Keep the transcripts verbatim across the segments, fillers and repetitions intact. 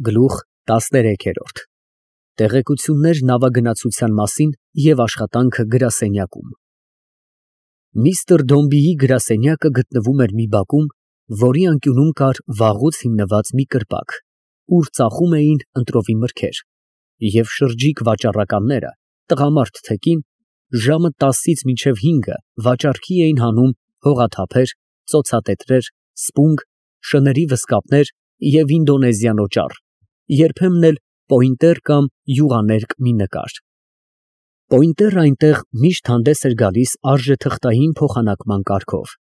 Գլուխ տասներեք։ Տեղեկություններ նավագնացության մասին և աշխատանքը գրասենյակում։ Միսթր Դոմբիի գրասենյակը գտնվում էր մի բակում, որի անկյունում կար վաղուց հիմնված մի կրպակ, ուր ծախում էին ընտրովի մրգեր, և շրջիկ վաճառականները, տղամարդ թե կին, ժամը տասից մինչև հինգը վաճառքի էին հանում հողաթափեր, ծոցատետրեր, սպունգ, շների վզկապներ և ինդոնեզյան օճառ, երբեմն էլ պոինտեր կամ յուղաներկ մի նկար։ Պոինտերն այնտեղ միշտ հանդես էր գալիս արժեթղթային փոխանակման կարգով,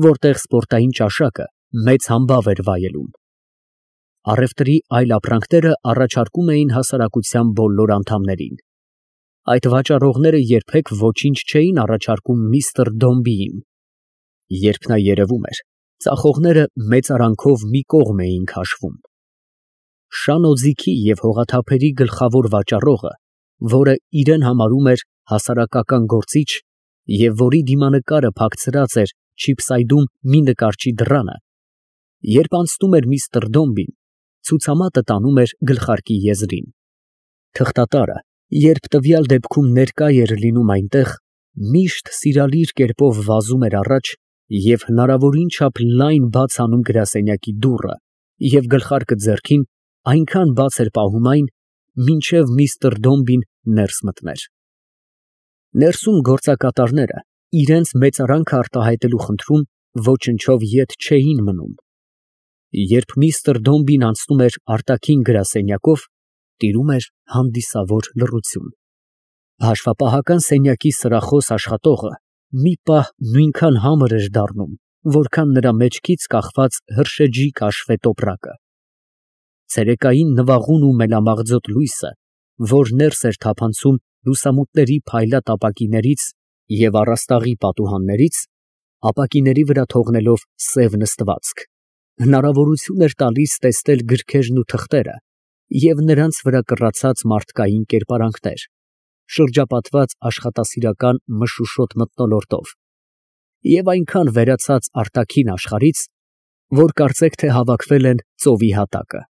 որտեղ սպորտային ճաշակը մեծ համբավ էր վայելում։ Առևտրի այլ ապրանքները առաջարկում էին հասարակության բոլոր անդամներին։ Այդ վաճառողները երբեք ոչինչ չէին առաջարկում միսթր Դոմբիին։ Երբ նա երևում էր, ծախողները մեծարանքով մի կողմ էին քաշվում։ Շան օձիքի և հողաթափերի գլխավոր վաճառողը, որը իրեն համարում էր հասարակական գործիչ և որի դիմանկարը փակցրած էր չիփսայդում մի նկարչի դռանը, երբ անցնում էր միսթր Դոմբին, ցուցամատը տանում էր գլխարկի եզրին։ Թղթատարը, երբ տվյալ դեպքում ներկա էր լինում այնտեղ, միշտ սիրալիր կերպով վազում էր առաջ և հնարավորին չափ լայն բաց անում գրասենյակի դուռը և գլխարկը ձեռքին այնքան բաց էր պահում այն, մինչև միսթր Դոմբին ներս մտներ։ Ներսում գործակատարները, իրենց մեծարանքը արտահայտելու խնդրում, ոչնչով ետ չէին մնում։ Երբ միսթր Դոմբին անցնում էր արտաքին գրասենյակով, տիրում էր հանդիսավոր լռություն։ Հաշվապահական սենյակի սրախոս աշխատողը մի պահ նույնքան համր էր դառնում, որքան նրա մեջքից կախված հրշեջի կաշվե տոպրակը։ Ցերեկային նվաղուն ու մելամաղձոտ լույսը, որ ներս էր թափանցում լուսամուտների փայլատ ապակիներից և առաստաղի պատուհաններից, ապակիների վրա թողնելով սև նստվածք, հնարավորություն էր տալիս տեսնել գրքերն ու թղթերը և նրանց վրա կռացած մարդկային կերպարանքներ, շրջապատված աշխատասիրական մշուշոտ մթնոլորտով, և այնքան վերացած արտաքին աշխարհից, որ կարծեք թե հավաքվել են ծովի հատակը։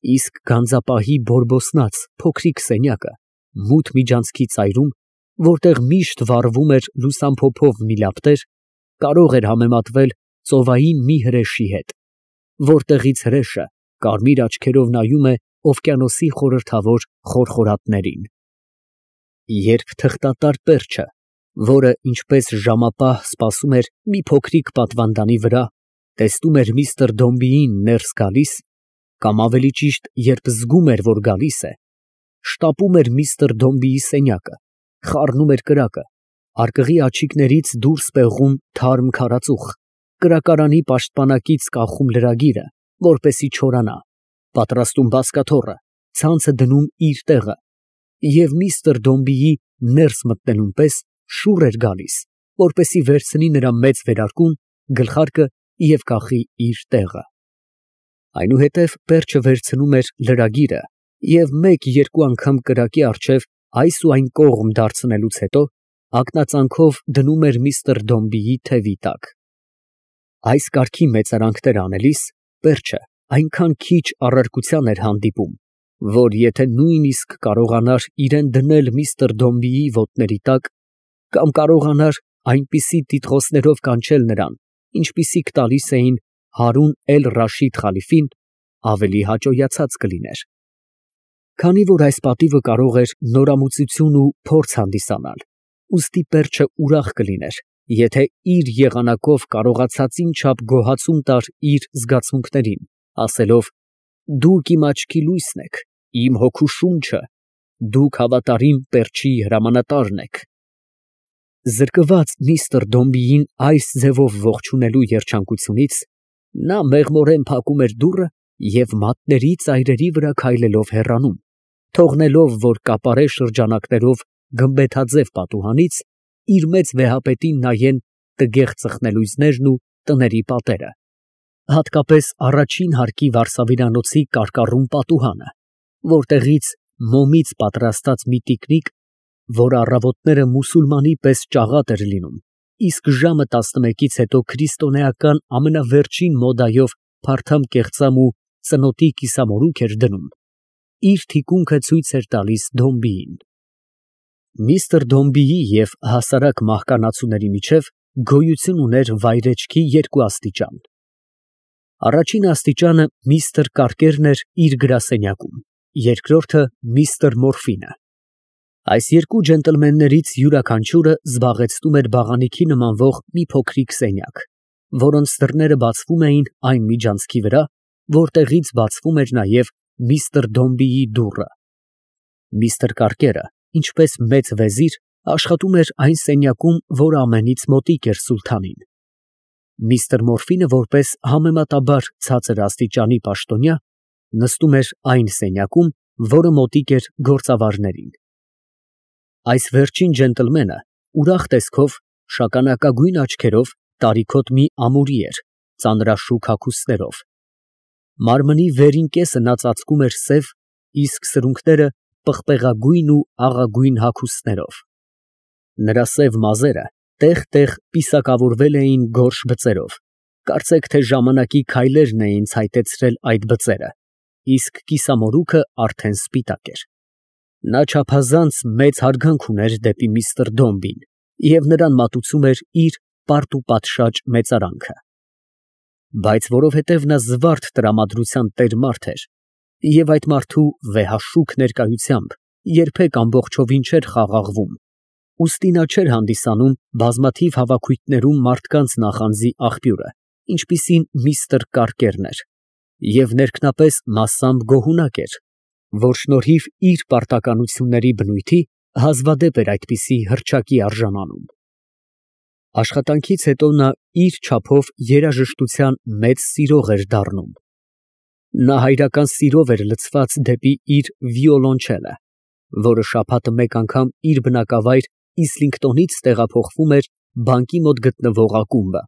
Իսկ գանձապահի բորբոսնած փոքրիկ սենյակը, մութ միջանցքի ծայրում, որտեղ միշտ վառվում էր լուսամփոփով մի լապտեր, կարող էր համեմատվել ծովային մի հրեշի հետ, որտեղից հրեշը կարմիր աչքերով նայում է օվկիանոսի խորհրդավոր խորխորատներին։ Երբ թղթատար Պերճը, որը ինչպես ժամապահ սպասում էր մի փոքրիկ պատվանդանի վրա, տեսնում էր միսթր Դոմբիին ներս գալիս, կամ ավելի ճիշտ, երբ զգում էր, որ գալիս է, շտապում էր միսթր Դոմբիի սենյակը, խառնում էր կրակը, արկղի աջիկներից դուրս պեղում թարմ քարածուխ, կրակարանի պաշտպանակից կախում լրագիրը, որպեսզի չորանա, պատրաստում բազկաթոռը, ցանցը դնում իր տեղը, և միսթր Դոմբիի ներս մտնելուն պես շուռ էր գալիս, որպեսզի վերցնի նրա մեծ վերարկուն, գլխարկը և կախի իր տեղը։ Այնուհետև Պերճը վերցնում էր լրագիրը և մեկ֊երկու անգամ կրակի առջև այս ու այն կողմ դարձնելուց հետո ակնածանքով դնում էր միսթր Դոմբիի թևի տակ։ Այս կարգի մեծարանքներ անելիս Պերճը այնքան քիչ առարկության էր հանդիպում, որ եթե նույնիսկ կարողանար իրան դնել միսթր Դոմբիի ոտների տակ, կամ կարողանար այնպիսի տիտղոսներով կանչել նրան, ինչպիսիք տալիս էին Հարուն էլ֊Ռաշիդ խալիֆին, ավելի հաճոյացած կլիներ։ Քանի որ այս պատիվը կարող էր նորամուծություն ու փորձ հանդիսանալ, ուստի Պերճը ուրախ կլիներ, եթե իր եղանակով կարողացածին չափ գոհացում տար իր զգացմունքներին, ասելով. «Դուք իմ աչքի լույսն եք, իմ հոգու շունչը, դուք հավատարիմ Պերճի հրամանատարն եք»։ Զրկված միսթր Դոմբիին այս ձևով ողջունելու երջանկությունից, նա մեղմորեն փակում էր դուռը և մատների ծայրերի վրա քայլելով հեռանում, թողնելով, որ կապարե շրջանակներով գմբեթաձև պատուհանից իր մեծ վեհապետին նայեն տգեղ ծխնելույզներն ու տների պատերը, հատկապես առաջին հարկի վարսավիրանոցի կարկառուն պատուհանը, որտեղից մոմից պատրաստած մի տիկնիկ, որը առավոտները մուսուլմանի պես ճաղատ էր լինում, իսկ ժամը տասնմեկից հետո քրիստոնեական ամենավերջին մոդայով փարթամ կեղծամ ու ծնոտի կիսամորուք էր դնում, իր թիկունքը ցույց էր տալիս Դոմբիին։ Միստր Դոմբիի և հասարակ մահկանացուների միջև գոյություն ուներ վայրեջքի երկու աստիճան։ Առաջին աստիճանը միստր Կարկերն էր իր գրասենյակում, երկրորդը միստր Մորֆինը։ Այս երկու ջենտլմեններից յուրաքանչյուրը զբաղեցնում էր բաղանիքի նմանվող մի փոքրիկ սենյակ, որոնց դռները բացվում էին այն միջանցքի վրա, որտեղից բացվում էր նաև միստր Դոմբիի դուռը։ Միստր Կարկերը, ինչպես մեծ վեզիր, աշխատում էր այն սենյակում, որը ամենից մոտիկ էր սուլթանին։ Միստր Մորֆինը, որպես համեմատաբար ցածր աստիճանի պաշտոնյա, նստում էր այն սենյակում, որը մոտիկ էր գործավարներին։ Այս վերջին ջենտլմենը ուրախ տեսքով, շագանակագույն աչքերով, տարիքոտ մի ամուրի էր, ծանրաշուք հագուստներով։ Մարմնի վերին կեսը նա ծածկում էր սև, իսկ սրունքները պղպեղագույն ու աղագույն հագուստներով։ Նրա սև մազերը տեղ֊տեղ պիսակավորվել էին գորշ բծերով, կարծեք թե ժամանակի քայլերն էին ցայտեցրել այդ բծերը, իսկ կիսամորուքը արդեն սպիտակ էր։ Նա չափազանց մեծ հարգանք ուներ դեպի միստր Դոմբին և նրան մատուցում էր իր պարտուպատշաճ մեծարանքը։ Բայց որովհետև նա զվարթ տրամադրության տեր մարդ էր, և այդ մարդու վեհաշուք ներկայությամբ երբեք ամբողջովին չէր խաղաղվում, ուստի նա չէր հանդիսանում բազմաթիվ հավաքույթներում մարդկանց նախանձի աղբյուրը, ինչպիսին միստր Կարկերն էր, և ներքնապես մասամբ գոհունակ էր, որ շնորհիվ իր պարտականությունների բնույթի հազվադեպ էր այդպիսի հռչակի արժանանում։ Աշխատանքից հետո նա իր չափով երաժշտության մեծ սիրող էր դառնում։ Նա հայրական սիրով էր լցված դեպի իր վիոլոնչելը, որը շաբաթը մեկ անգամ իր բնակավայր Իսլինգտոնից տեղափոխվում էր բանկի մոտ գտնվող ակումբը,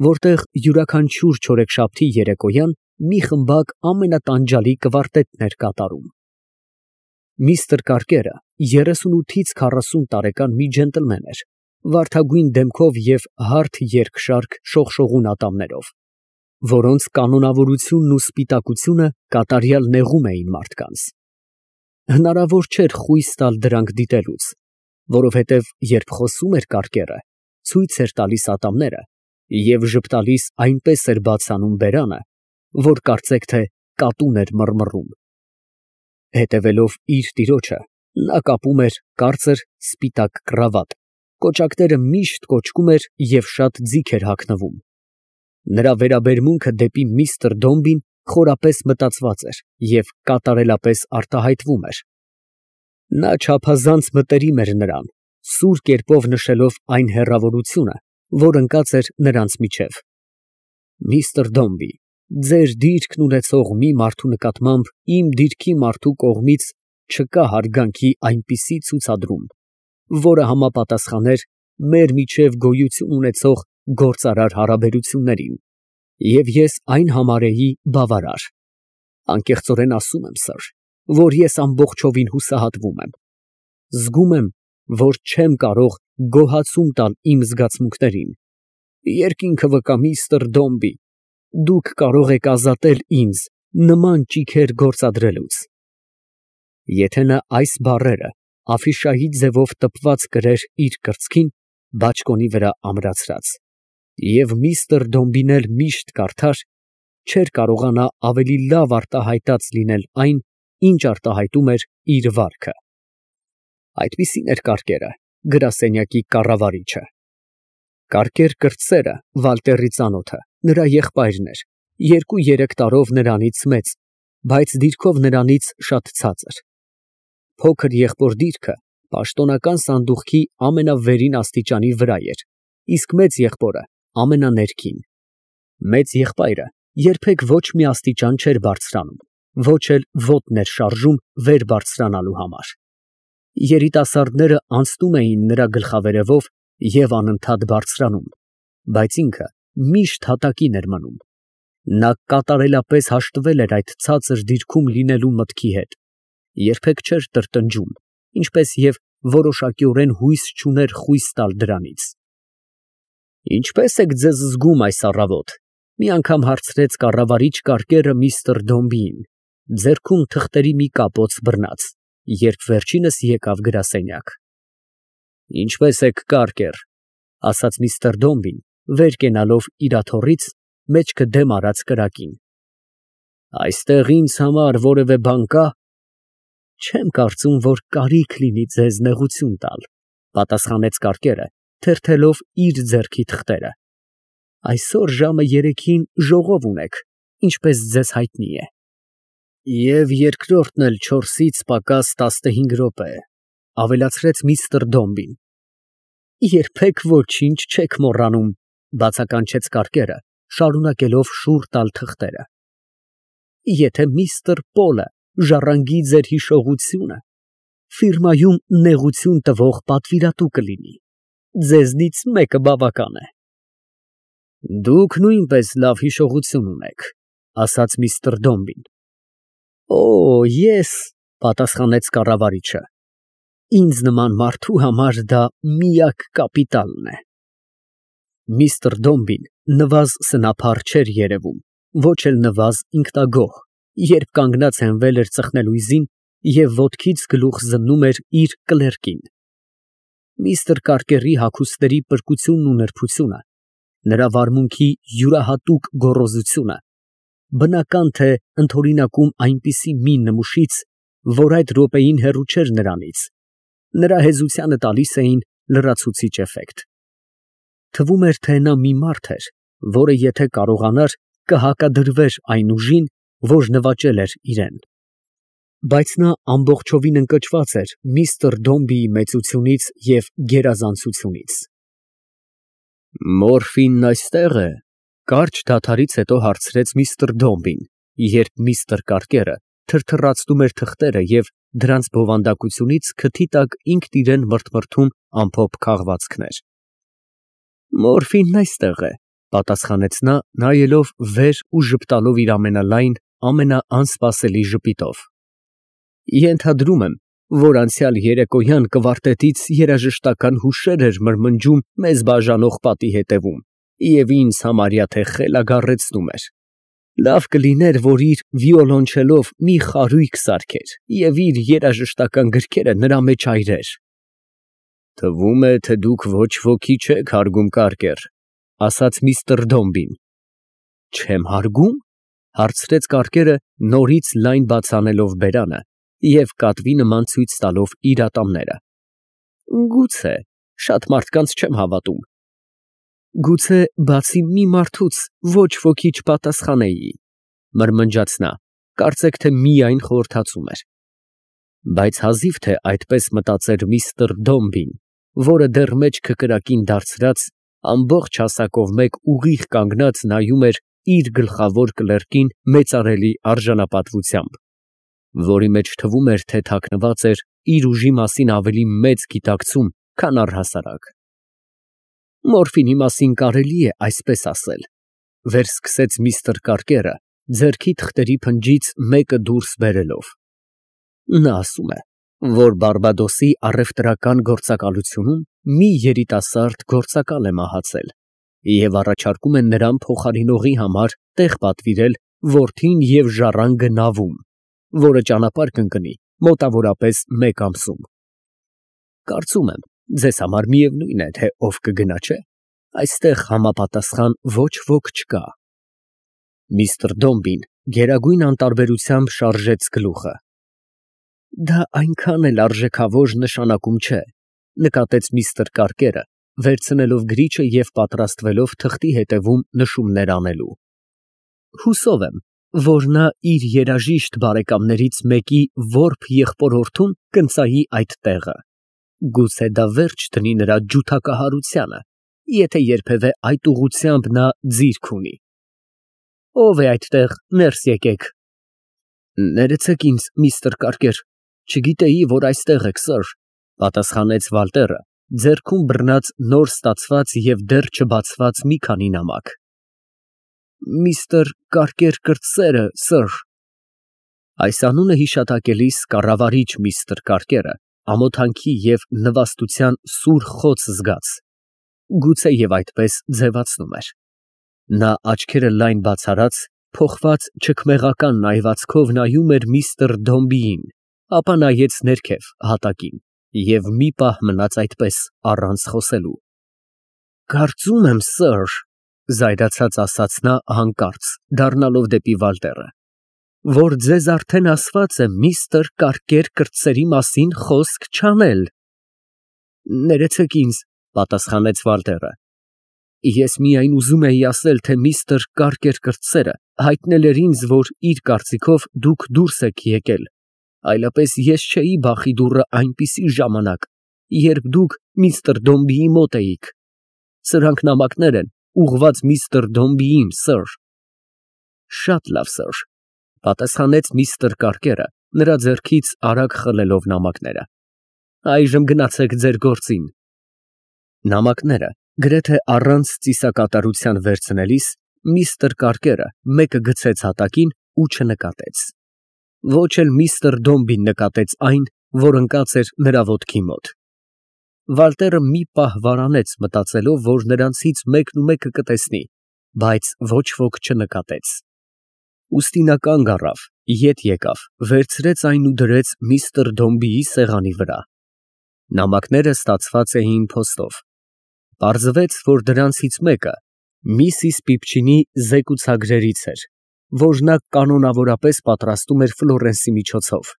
որտեղ յուրաքանչյուր չորեքշաբթի երեկոյան մի խմբակ ամենատանջալի կվարտետն էր կատարում։ Միստր Կարկերը երեսունութից քառասուն տարեկան մի ջենտլմեն էր, վարդագույն դեմքով և հարթ երկշարք շողշողուն ատամներով, որոնց կանոնավորությունն ու սպիտակությունը կատարյալ նեղում էին մարդկանց։ Հնարավոր չէր խույս տալ դրանք դիտելուց, որովհետև երբ խոսում էր Կարկերը, ցույց էր տալիս ատամները և ժպտալիս այնպես էր բաց անում բերանը, որ կարծեք թե կատուն էր մռմռում։ Հետևելով իր տիրոջը, նա կապում էր կարծր սպիտակ կռավատ, կոճակները միշտ կոճկում էր և շատ ձիգ էր հագնվում։ Նրա վերաբերմունքը դեպի միստր Դոմբին խորապես մտածված էր և կատարելապես արտահայտվում էր։ Նա չափազանց մտերիմ էր նրան, սուր կերպով նշելով այն հեռավորությունը, որ ընկած էր նրանց միջև։ Միստր Դոմբի, ձեր դիրքն ունեցող մի մարդու նկատմամբ իմ դիրքի մարդու կողմից չկա հարգանքի այնպիսի ցուցադրում, որը համապատասխաներ մեր միջև գոյություն ունեցող գործարար հարաբերություններին, և ես այն համարեի բավարար։ Անկեղծորեն ասում եմ, սըր, որ ես ամբողջովին հուսահատվում եմ։ Զգում եմ, որ չեմ կարող գոհացում տալ իմ զգացմունքներին։ Երկինքը վկա, միստր Դոմբի, դուք կարող եք ազատել ինձ նման ճիգեր գործադրելուց։ Եթե նա այս բառերը աֆիշայի ձևով տպված կրեր իր կրծքին, բաճկոնի վրա ամրացրած, և միստր Դոմբին էլ միշտ կարդար, չէր կարողանա ավելի լավ արտահայտած լինել այն, ինչ արտահայտում էր իր վարքը։ Այդպիսին էր Կարկերը, գրասենյակի կառավարիչը։ Կարկեր կրտսերը, Վալտերի ծանոթը, նրա եղբայրն էր, երկու֊երեք տարով նրանից մեծ, բայց դիրքով նրանից շատ ցածր։ Փոքր եղբոր դիրքը պաշտոնական սանդուղքի ամենավերին աստիճանի վրա էր, իսկ մեծ եղբորը ամենաներկին։ Մեծ եղբայրը երբեք ոչ մի աստիճան չէր բարձրանում, ոչ էլ ոտն էր շարժում վեր բարձրանալու համար։ Երիտասարդները անցնում էին նրա գլխավերևով և անընդհատ բարձրանում, բայց ինքը միշտ հատակին էր մնում։ Նա կատարելապես հաշտվել էր այդ ցածր դիրքում լինելու մտքի հետ, երբեք չէր տրտնջում, ինչպես և որոշակիորեն հույս չուներ խույս տալ դրանից։ ֊ Ինչպե՞ս եք ձեզ զգում այս առավոտ, Մի անգամ հարցրեց կառավարիչ Կարկերը միստր Դոմբիին, ձեռքում թղթերի մի կապոց բռնած, երբ վերջինս եկավ գրասենյակ։ Ինչպե՞ս եք, Կարկեր, ասաց միստր Դոմբին, վեր կենալով իր աթոռից, մեջքը դեմ արած կրակին։ Այստեղ ինձ համար որևէ բան կա։ Չեմ կարծում, որ կարիք լինի ձեզ նեղություն տալ, պատասխանեց Կարկերը, թերթելով իր ձեռքի թղթերը։ Այսօր ժամը երեքին ժողով ունեք, ինչպես ձեզ հայտնի է։ Եվ երկրորդն էլ չորսից պակաս տասնհինգ րոպե, ավելացրեց միստր Դոմբին։ Երբեք ոչինչ չեք մոռանում, բացականչեց Կարկերը, շարունակելով շուռ տալ թղթերը։ Եթե միստր Պոլը ժառանգի ձեր հիշողությունը, ֆիրմայում նեղություն տվող պատվիրատու կլինի, ձեզնից մեկը բավական է։ Դուք նույնպես լավ հիշողություն ունեք, ասաց միստր Դոմբին։ Օ, ես, պատասխանեց կառավարիչը, ինձ նման մարդու համար դա միակ կապիտալն է։ Միստր Դոմբին նվազ սնափառ չէր երևում, ոչ էլ նվազ ինքնագոհ, երբ կանգնած հենվել էր ծխնելույզին և ոտքից գլուխ զննում էր իր կլերկին։ Միստր Կարկերի հագուստների պրկությունն ու նրբությունը, նրա վարմունքի յուրահատուկ գոռոզությունը, բնական թե ընդօրինակում այնպիսի մի նմուշից, որ այդ րոպեին հեռու չէր նրանից, նրա հեզությանը տալիս էին լրացուցիչ էֆեկտ։ Թվում էր, թե նա մի մարդ էր, որը եթե կարողանար, կհակադրվեր այն ուժին, որ նվաճել էր իրեն։ Բայց նա ամբողջովին ընկճված էր միստր Դոմբիի մեծությունից և գերազանցությունից։ Մորֆինն այստե՞ղ է, կարճ դադարից հետո հարցրեց միստր Դոմբին, երբ միստր Կարկերը թրթռացնում էր թղթերը և դրանց բովանդակությունից քթի տակ ինքն իրան մրթմրթում ամփոփ քաղվածքներ։ Մորֆինն այստեղ է, պատասխանեց նա, նայելով վեր ու ժպտալով իր ամենալայն, ամենաանսպասելի ժպիտով։ Ենթադրում եմ, որ անցյալ երեկոյան կվարտետից երաժշտական հուշեր էր մրմնջում մեզ բաժանող պատի հետևում և ինձ համարյա թե խելագարեցնում էր։ Լավ կլիներ, որ իր վիոլոնչելով մի խարույկ սարքեր և իր երաժշտական գրքերը նրա մեջ այրեր։ Թվում է, թե դուք ոչ ոքի չեք հարգում, Կարկեր, ասաց միստր Դոմբին։ Չեմ հարգում, հարցրեց Կարկերը, նորից լայն բաց անելով բերանը և կատվի նման ցույց տալով իր ատամները։ Գուցե, շատ մարդկանց չեմ հավատում։ Գուցե բացի մի մարդուց ոչ ոքի չպատասխանեի, մրմնջաց նա, կարծեք թե միայն խորհրդածում էր։ Բայց հազիվ թե այդպես մտածեր միստր Դոմբին, որը դեռ մեջքը կրակին դարձրած, ամբողջ հասակով մեկ ուղիղ կանգնած նայում էր իր գլխավոր կլերկին մեծարելի արժանապատվությամբ, որի մեջ թվում էր, թե թաքնված էր իր ուժի մասին ավելի մեծ գիտակցում, քան առհասարակ։ Մորֆինի մասին կարելի է այսպես ասել, վերսկսեց միստր Կարկերը, ձեռքի թղթերի փնջից մեկը դուրս բերելով։ Նա ասում է, որ Բարբադոսի առևտրական գործակալությունում մի երիտասարդ գործակալ է մահացել և առաջարկում են նրան փոխարինողի համար տեղ պատվիրել որդին և ժառանգը նավում, որը ճանապարհ կընկնի մոտավորապես մեկ ամսում։ Կարծում եմ, ձեզ համար միևնույն է, թե ով կգնա, չէ՞։ Այստեղ համապատասխան ոչ ոք չկա։ Միստր Դոմբին գերագույն անտարբերությամբ շարժեց գլուխը։ Դա այնքան էլ արժեքավոր նշանակում չէ, նկատեց միստր Կարկերը, վերցնելով գրիչը և պատրաստվելով թղթի հետևում նշումներ անելու։ Հուսով եմ, որ նա իր երաժիշտ բարեկամներից մեկի որբ եղբորորդուն կընծայի այդ տեղը։ Գուցե դա վերջ դնի նրա ջութակահարությանը, եթե երբևէ այդ ուղղությամբ նա ձիրք ունի։ Ո՞վ է այդտեղ, ներս եկեք։ Ներեցեք ինձ, միստր Կարկեր, չգիտեի, որ այստեղ եք, սըր, պատասխանեց Վալտերը, ձեռքում բռնած նոր ստացված և դեռ չբացված մի քանի նամակ։ Միստր Կարկեր կրտսերը, սըր։ Այս անունը հիշատակելիս կառավարիչ միստր Կարկերը ամոթանքի և նվաստության սուր խոց զգաց, գուցե և այդպես ձևացնում էր։ Նա աչքերը լայն բացարած, փոխված չքմեղական նայվածքով նայում էր միստր Դոմբիին, ապա նայեց ներքև հատակին և մի պահ մնաց այդպես առանց խոսելու։ Կարծում եմ, սըր, զայրացած ասաց նա հանկարծ, դառնալով դեպի Վալտերը, որ ձեզ արդեն ասված է միստր Կարկեր կրտսերի մասին խոսք չանել։ Ներեցեք ինձ, պատասխանեց Վալտերը, ես միայն ուզում էի ասել, թե միստր Կարկեր կրտսերը հայտնել էր ինձ, որ իր կարծիքով դուք դուրս եք եկել, այլապես ես չէի բախի դուռը այնպիսի ժամանակ, երբ դուք միստր Դոմբիի մոտ էիք։ Սրանք նամակներ են, ուղղված միստր Դոմբիին, սըր։ Շատ լավ, սըր, պատասխանեց միստր Կարկերը, նրա ձեռքից արագ խլելով նամակները։ Այժմ գնացեք ձեր գործին։ Նամակները գրեթե առանց ծիսակատարության վերցնելիս միստր Կարկերը մեկը գցեց հատակին ու չնկատեց։ Ոչ էլ միստր Դոմբին նկատեց այն, որ ընկած էր նրա ոտքի մոտ։ Վալտերը մի պահ վարանեց, մտածելով, որ նրանցից մեկն ու մեկը կտեսնի, բայց ոչ ոք չնկատեց։ Ուստի նա կանգ առավ, ետ եկավ, վերցրեց այն ու դրեց միստր Դոմբիի սեղանի վրա։ Նամակները ստացված էին փոստով։ Պարզվեց, որ դրանցից մեկը Միսիս Պիպչինի զեկուցագրերից էր, որ նա կանոնավորապես պատրաստում էր Ֆլորենսի միջոցով։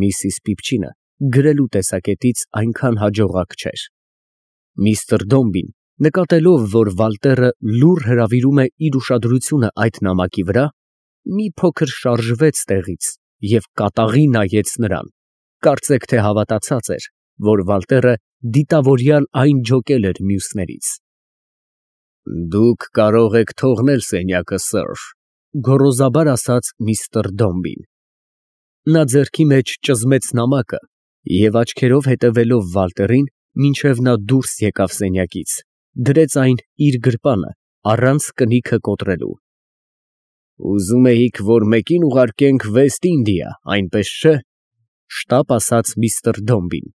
Միսիս Պիպչինը գրելու տեսակետից այնքան հաջողակ չէր։ Միստր Դոմբին, նկատելով, որ Վալտերը լուռ հրավիրում է իր ուշադրությունը այդ նամակի վրա, մի փոքր շարժվեց տեղից և կատաղի նայեց նրան, կարծեք թե հավատացած էր, որ Վալտերը դիտավորյալ այն ջոկել էր մյուսներից։ Դուք կարող եք թողնել սենյակը, սըր, գոռոզաբար ասաց միստր Դոմբին։ Նա ձեռքի մեջ ճզմեց նամակը և աչքերով հետևելով Վալտերին, մինչև նա դուրս եկավ սենյակից, դրեց այն իր գրպանը, առանց կնիքը կոտրելու։ Ուզում էիք, որ մեկին ուղարկենք Վեստ Ինդիա, այնպես չէ՞, շտապ ասաց միստր Դոմբին։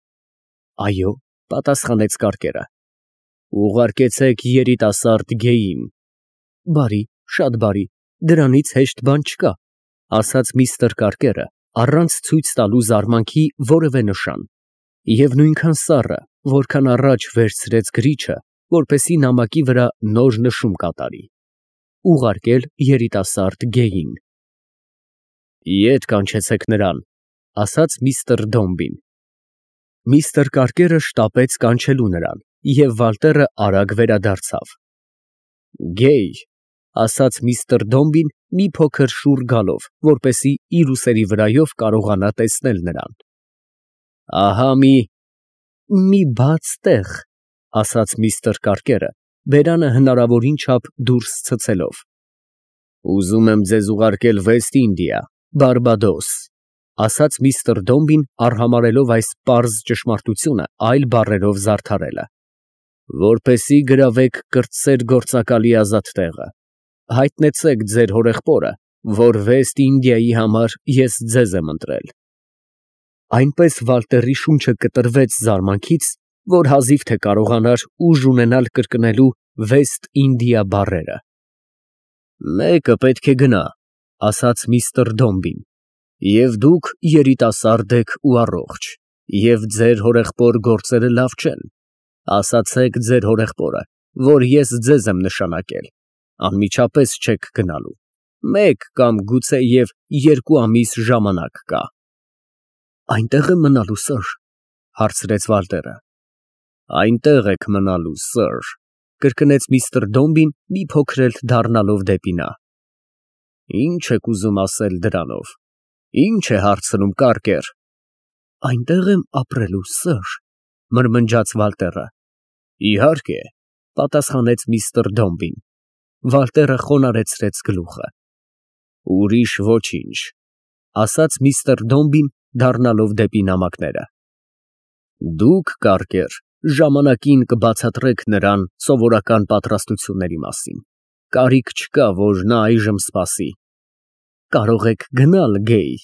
Այո, պատասխանեց Կարկերը։ Ուղարկեցեք երիտասարդ գեյին։ Բարի, շատ բարի, դրանից հեշտ բան չկա, ասաց միստր Կարկերը, առանց ցույց տալու զարմանքի որևէ նշան, և նույնքան սառը, որքան առաջ վերցրեց գրիչը, որպեսզի նամակի վրա նոր նշում կատարի։ Ուղարկել երիտասարդ գեյին։ Ետ կանչեցեք նրան, ասաց միստր Դոմբին։ Միստր Կարկերը շտապեց կանչելու նրան, և Վալտերը արագ վերադարձավ։ Գեյ, ասաց միստր Դոմբին մի փոքր շուռ գալով, որպեսզի իր ուսերի վրայով կարողանա տեսնել նրան։ Ահա մի… մի բաց տեղ, ասաց միստր Կարկերը, բերանը հնարավորին չափ դուրս ցցելով։ Ուզում եմ ձեզ ուղարկել Վեստ Ինդիա, Բարբադոս, ասաց միստր Դոմբին, արհամարհելով այս պարզ ճշմարտությունը այլ բառերով զարդարելը, որպեսզի գրավեք կրտսեր գործակալի ազատ տեղը, հայտնեցեք ձեր հորեղբորը, որ Վեստ Ինդիայի համար ես ձեզ եմ ընտրել։ Այնպես Վալտերի շունչը կտրվեց զարմանքից, որ հազիվ թե կարողանար ուժ ունենալ կրկնելու Վեստ Ինդիա բառերը։ Մեկը պետք է գնա, ասաց միստր Դոմբին, և դուք երիտասարդ եք ու առողջ, և ձեր հորեղբոր գործերը լավ չեն, ասացեք ձեր հորեղբորը, որ ես ձեզ եմ նշանակել, անմիջապես չեք գնալու, մեկ կամ գուցեև երկու ամիս ժամանակ կա։ Այնտեղ եմ մնալու, սըր, հարցրեց Վալտերը։ Այնտեղ եք մնալու, սըր, կրկնեց միստր Դոմբին, մի փոքր էլ դառնալով դեպի նա։ Ինչ եք ուզում ասել դրանով, ինչ է հարցնում, Կարկեր։ Այնտեղ եմ ապրելու, սըր, մրմնջաց Վալտերը։ Իհարկե, պատասխանեց միստր Դոմբին։ Վալտերը խոնարհեցրեց գլուխը։ Ուրիշ ոչինչ, ասաց միստր Դոմբին, դառնալով դեպի նամակները։ Դուք, Կարկեր, ժամանակին կբացատրեք նրան սովորական պատրաստությունների մասին։ Կարիք չկա, որ նա այժմ սպասի։ Կարող եք գնալ, գեյ,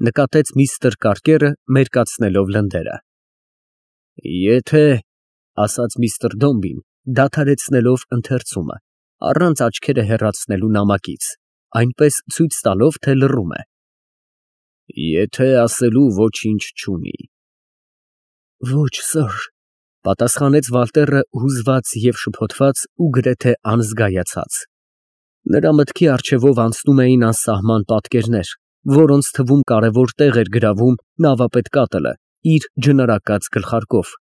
նկատեց միստր Կարկերը, մերկացնելով լնդերը։ Եթե, ասաց միստր Դոմբին, դադարեցնելով ընթերցումը, առանց աչքերը հեռացնելու նամակից, այնպես ցույց տալով, թե լռում է։ Եթե ասելու ոչինչ չունի։ Ոչ, սըր, պատասխանեց Վալտերը հուզված և շփոթված ու գրեթե անզգայացած։ Նրա մտքի առջևով անցնում էին անսահման պատկերներ, որոնց թվում կարևոր տեղ էր գրավում նավապետ Կատլը իր ջնարակած գլխարկով,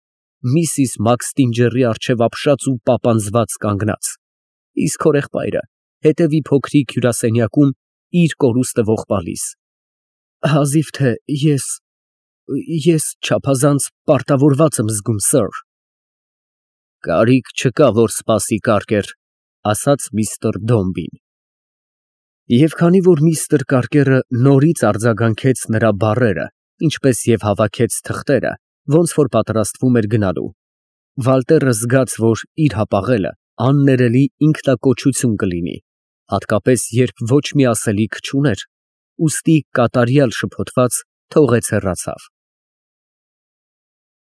միսիս Մաքստինջերի առջև ապշած ու պապանձված կանգնած, իսկ հորեղբայրը հետևի փոքրիկ հյուրասենյակում իր կորուստը ողբալիս։ Հազիվ թե ես… ես չափազանց պարտավորված եմ զգում, սըր։ Կարիք չկա, որ սպասի, Կարկեր, ասաց միստր Դոմբին։ Եվ քանի որ միստր Կարկերը նորից արձագանքեց նրա բառերը, ինչպես և հավաքեց թղթերը, ոնց որ պատրաստվում էր գնալու, Վալտերը զգաց, որ իր հապաղելը աններելի ինքնակոչություն կլինի, հատկապես երբ ոչ մի ասելիք չուներ, ուստի կատարյալ շփոթված թողեց հեռացավ։